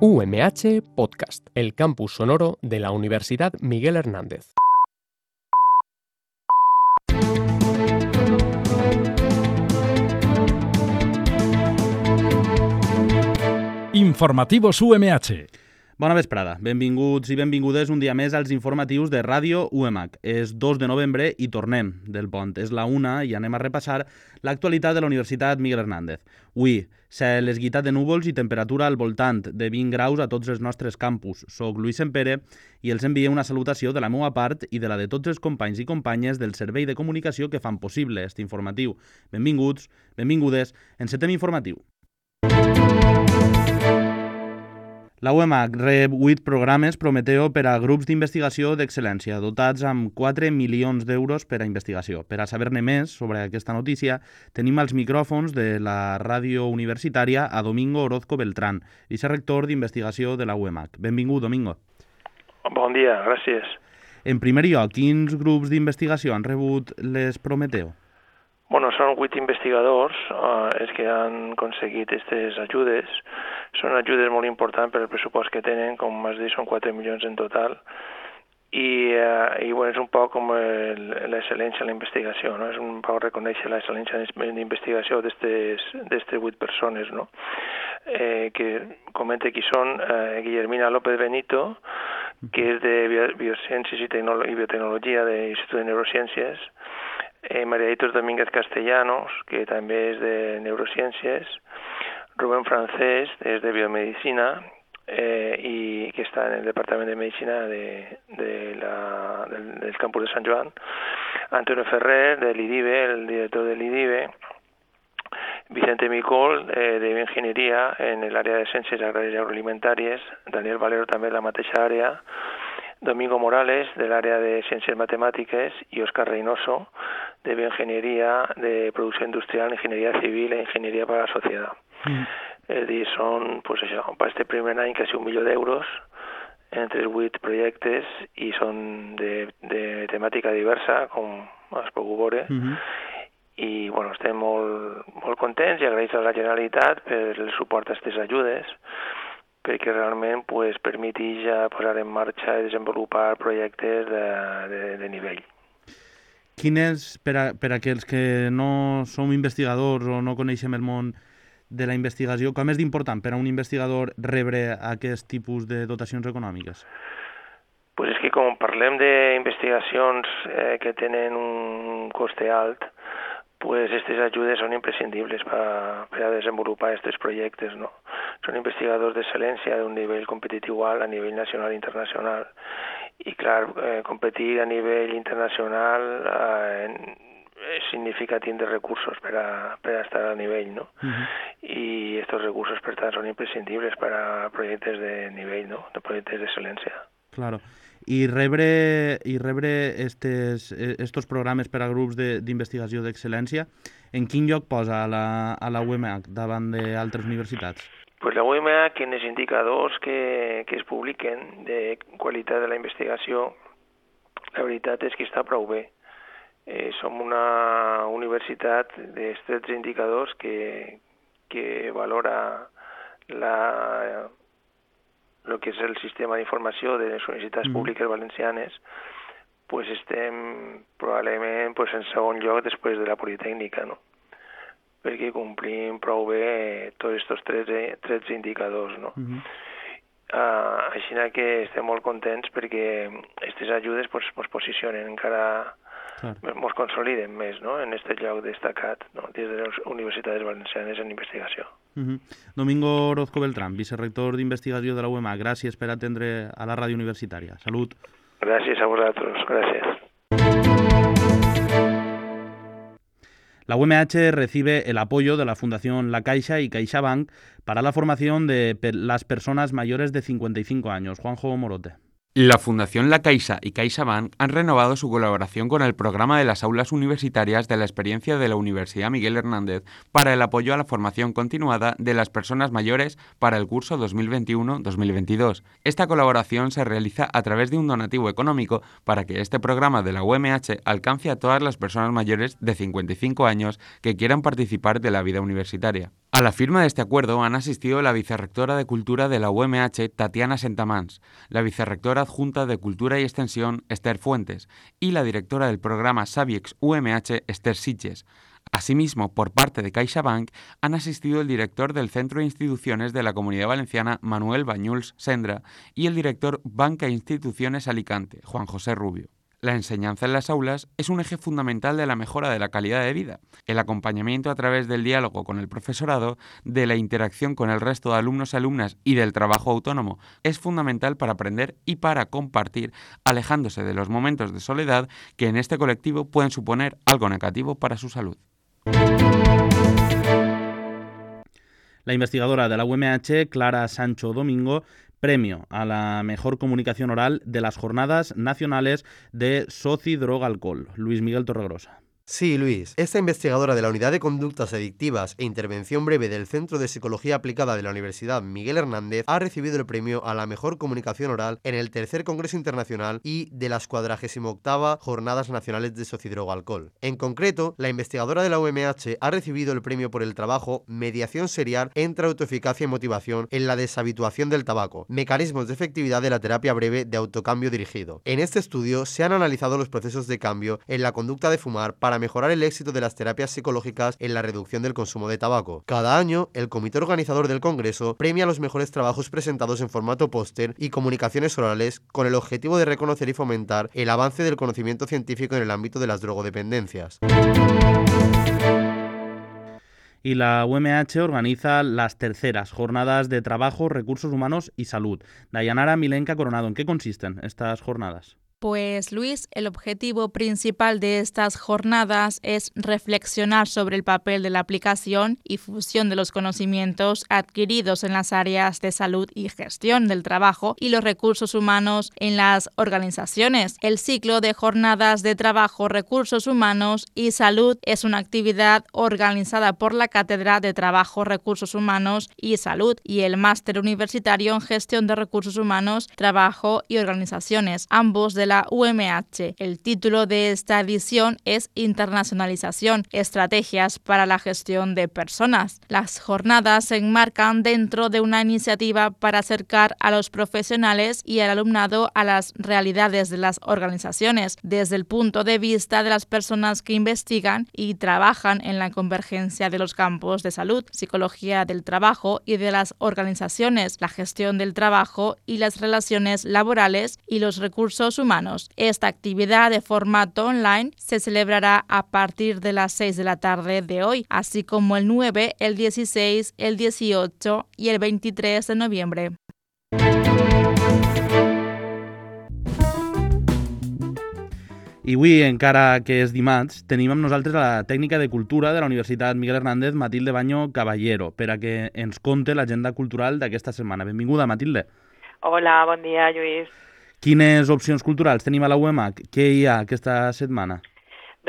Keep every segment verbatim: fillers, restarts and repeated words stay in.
U M H Podcast, el campus sonoro de la Universidad Miguel Hernández. Informativos U M H. Bona vesprada, benvinguts i benvingudes un dia més als informatius de Ràdio U M H. És dos de novembre i tornem del pont. És la una i anem a repassar l'actualitat de la Universitat Miguel Hernández. Avui, cel esguitat de núvols i temperatura al voltant de vint graus a tots els nostres campus. Soc Lluís Sempere i els envie una salutació de la meva part i de la de tots els companys i companyes del servei de comunicació que fan possible aquest informatiu. Benvinguts, benvingudes, encetem informatiu. La U M H rep vuit programes Prometeo per a grups d'investigació d'excel·lència, dotats amb quatre milions d'euros per a investigació. Per a saber-ne més sobre aquesta notícia, tenim als micròfons de la ràdio universitària a Domingo Orozco Beltrán, vicerector d'investigació de la U M H. Benvingut, Domingo. Bon dia, gràcies. En primer lloc, quins grups d'investigació han rebut les Prometeo? Bueno, són vuit investigadors eh, els que han aconseguit aquestes ajudes. Són ajudes molt importants per el pressupost que tenen, com has dit, són quatre milions en total. I, eh, i bueno, és un poc com l'excel·lència en la investigació, no? És un poc reconèixer l'excel·lència en la investigació d'aquestes vuit persones, no? Eh, que comenta qui són eh, Guillermina López Benito, que és de Biociències i, Tecno- i Biotecnologia de l'Institut de Neurociències, Eh, María Hitos Domínguez Castellanos, que també és de Neurociències, Rubén Francés, és de Biomedicina, eh, i que està en el Departament de Medicina de, de la, del, del campus de Sant Joan, Antonio Ferrer, de l'I D I B E, el director de l'I D I B E, Vicente Micol, eh, de Bioingenieria, en l'àrea de Ciències Agràries i Agroalimentàries, Daniel Valero també en la mateixa àrea, Domingo Morales, de l'àrea de Ciències Matemàtiques, i Òscar Reynoso, de Bioingenieria, de Producció Industrial, Ingenieria Civil e Ingenieria para la Sociedad. Mm. És dir, són, pues això, per este primer any quasi un milió d'euros entre els vuit projectes i són de, de temàtica diversa, com es puc veure. Mm-hmm. I, bueno, estem molt, molt contents i agraïts a la Generalitat per el suport a aquestes ajudes, perquè realment pues, permeteix posar en marxa i desenvolupar projectes de, de, de nivell. Quin és, per a, per a aquells que no som investigadors o no coneixem el món de la investigació, com és d'important per a un investigador rebre aquest tipus de dotacions econòmiques? Pues és que com parlem d'investigacions eh, que tenen un coste alt, pues aquestes ajudes són imprescindibles per, per a desenvolupar aquests projectes, no? Són investigadors d'excel·lència d'un nivell competitiu alt a nivell nacional i internacional. I clar, eh, competir a nivell internacional eh, significa tindre recursos per a, per a estar a nivell, no? Uh-huh. I aquests recursos, per tant, són imprescindibles per a projectes de nivell, no? De projectes d'excel·lència. Claro. I rebre, i rebre estes, estos programes per a grups d'investigació d'excel·lència, en quin lloc posa a la, a la U M H davant d'altres universitats? Pues la U M H, en els indicadors que, que es publiquen de qualitat de la investigació, la veritat és que està prou bé. Eh, som una universitat d'estrets indicadors que, que valora la... el que és el sistema d'informació de les universitats mm. públiques valencianes, pues estem probablement pues, en segon lloc després de la Politècnica, no? Perquè complim prou bé tots aquests tres, tres indicadors, no? Mm-hmm. uh, així que estem molt contents perquè aquestes ajudes pues, pues, posicionen encara, ens claro. consoliden més, no? En aquest lloc destacat, no? Des de les universitats valencianes en investigació. Uh-huh. Domingo Orozco Beltrán, vicerector d'investigació de la U M H. Gràcies per atendre a la ràdio universitària. Salut. Gràcies a vosaltres. Gràcies. La U M H recibe el apoyo de la Fundación La Caixa y CaixaBank para la formación de las personas mayores de cincuenta y cinco años. Juanjo Morote. La Fundación La Caixa y CaixaBank han renovado su colaboración con el programa de las aulas universitarias de la experiencia de la Universidad Miguel Hernández para el apoyo a la formación continuada de las personas mayores para el curso dos mil veintiuno dos mil veintidós. Esta colaboración se realiza a través de un donativo económico para que este programa de la U M H alcance a todas las personas mayores de cincuenta y cinco años que quieran participar de la vida universitaria. A la firma de este acuerdo han asistido la vicerrectora de Cultura de la U M H, Tatiana Sentamans, la vicerrectora adjunta de Cultura y Extensión, Esther Fuentes, y la directora del programa Saviex U M H, Esther Sitges. Asimismo, por parte de CaixaBank, han asistido el director del Centro de Instituciones de la Comunidad Valenciana, Manuel Bañuls Sendra, y el director Banca e Instituciones Alicante, Juan José Rubio. La enseñanza en las aulas es un eje fundamental de la mejora de la calidad de vida. El acompañamiento a través del diálogo con el profesorado, de la interacción con el resto de alumnos y alumnas y del trabajo autónomo es fundamental para aprender y para compartir, alejándose de los momentos de soledad que en este colectivo pueden suponer algo negativo para su salud. La investigadora de la U M H, Clara Sancho Domingo, premio a la mejor comunicación oral de las Jornadas Nacionales de Soci Droga Alcohol. Luis Miguel Torregrosa. Sí, Luis. Esta investigadora de la Unidad de Conductas Adictivas e Intervención Breve del Centro de Psicología Aplicada de la Universidad Miguel Hernández ha recibido el premio a la mejor comunicación oral en el tercer Congreso Internacional y de las cuadragésima octava Jornadas Nacionales de Socidroga Alcohol. En concreto, la investigadora de la U M H ha recibido el premio por el trabajo Mediación serial entre autoeficacia y motivación en la deshabituación del tabaco, mecanismos de efectividad de la terapia breve de autocambio dirigido. En este estudio se han analizado los procesos de cambio en la conducta de fumar para mejorar el éxito de las terapias psicológicas en la reducción del consumo de tabaco. Cada año, el comité organizador del Congreso premia los mejores trabajos presentados en formato póster y comunicaciones orales con el objetivo de reconocer y fomentar el avance del conocimiento científico en el ámbito de las drogodependencias. Y la U M H organiza las terceras Jornadas de Trabajo, Recursos Humanos y Salud. Dayanara Milenka Coronado, ¿en qué consisten estas jornadas? Pues Luis, el objetivo principal de estas jornadas es reflexionar sobre el papel de la aplicación y fusión de los conocimientos adquiridos en las áreas de salud y gestión del trabajo y los recursos humanos en las organizaciones. El ciclo de jornadas de trabajo, recursos humanos y salud es una actividad organizada por la Cátedra de Trabajo, Recursos Humanos y Salud y el Máster Universitario en Gestión de Recursos Humanos, Trabajo y Organizaciones, ambos de la U M H. El título de esta edición es Internacionalización, estrategias para la gestión de personas. Las jornadas se enmarcan dentro de una iniciativa para acercar a los profesionales y al alumnado a las realidades de las organizaciones, desde el punto de vista de las personas que investigan y trabajan en la convergencia de los campos de salud, psicología del trabajo y de las organizaciones, la gestión del trabajo y las relaciones laborales y los recursos humanos. Esta actividad de formato online se celebrará a partir de las seis de la tarde de hoy, así como el nueve, el dieciséis, el dieciocho y el veintitrés de noviembre. I avui, encara que és dimarts, tenim amb nosaltres la tècnica de cultura de la Universitat Miguel Hernández, Matilde Baño Caballero, per a que ens conte l'agenda cultural d'aquesta setmana. Benvinguda, Matilde. Hola, bon dia, Lluís. Quines opcions culturals tenim a la U M H? Què hi ha aquesta setmana?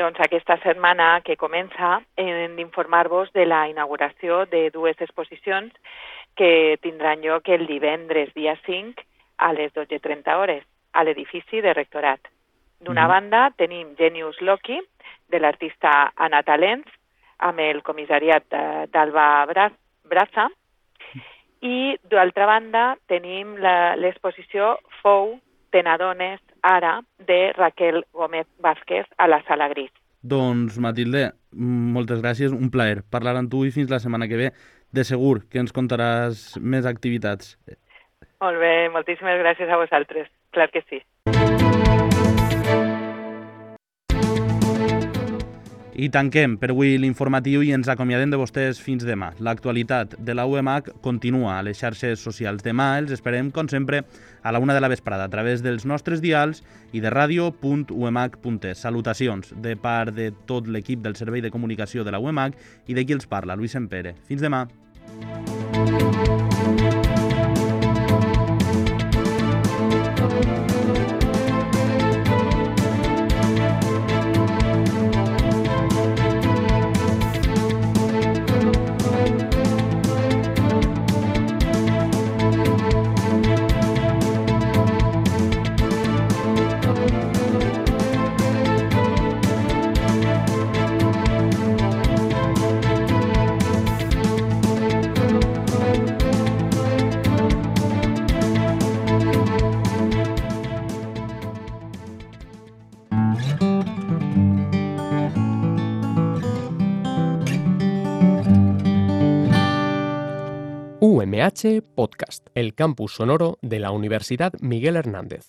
Doncs aquesta setmana que comença hem d'informar-vos de la inauguració de dues exposicions que tindran lloc el divendres dia cinc a les dotze trenta hores a l'edifici de Rectorat. D'una mm. banda tenim Genius Loki de l'artista Anna Talents amb el comissariat d'Alba Braza i d'altra banda tenim l'exposició Fou Te n'adones ara de Raquel Gómez Vázquez a la Sala Gris. Doncs, Matilde, moltes gràcies, un plaer parlar amb tu i fins la setmana que ve. De segur que ens contaràs més activitats. Molt bé, moltíssimes gràcies a vosaltres, clar que sí. I tanquem per avui l'informatiu i ens acomiadem de vostès fins demà. L'actualitat de la U M H continua a les xarxes socials. Demà els esperem, com sempre, a la una de la vesprada a través dels nostres dials i de ràdio punt u m h punt es. Salutacions de part de tot l'equip del Servei de Comunicació de la U M H i de qui els parla, Luis Empere. Fins demà. U M H Podcast, el campus sonoro de la Universidad Miguel Hernández.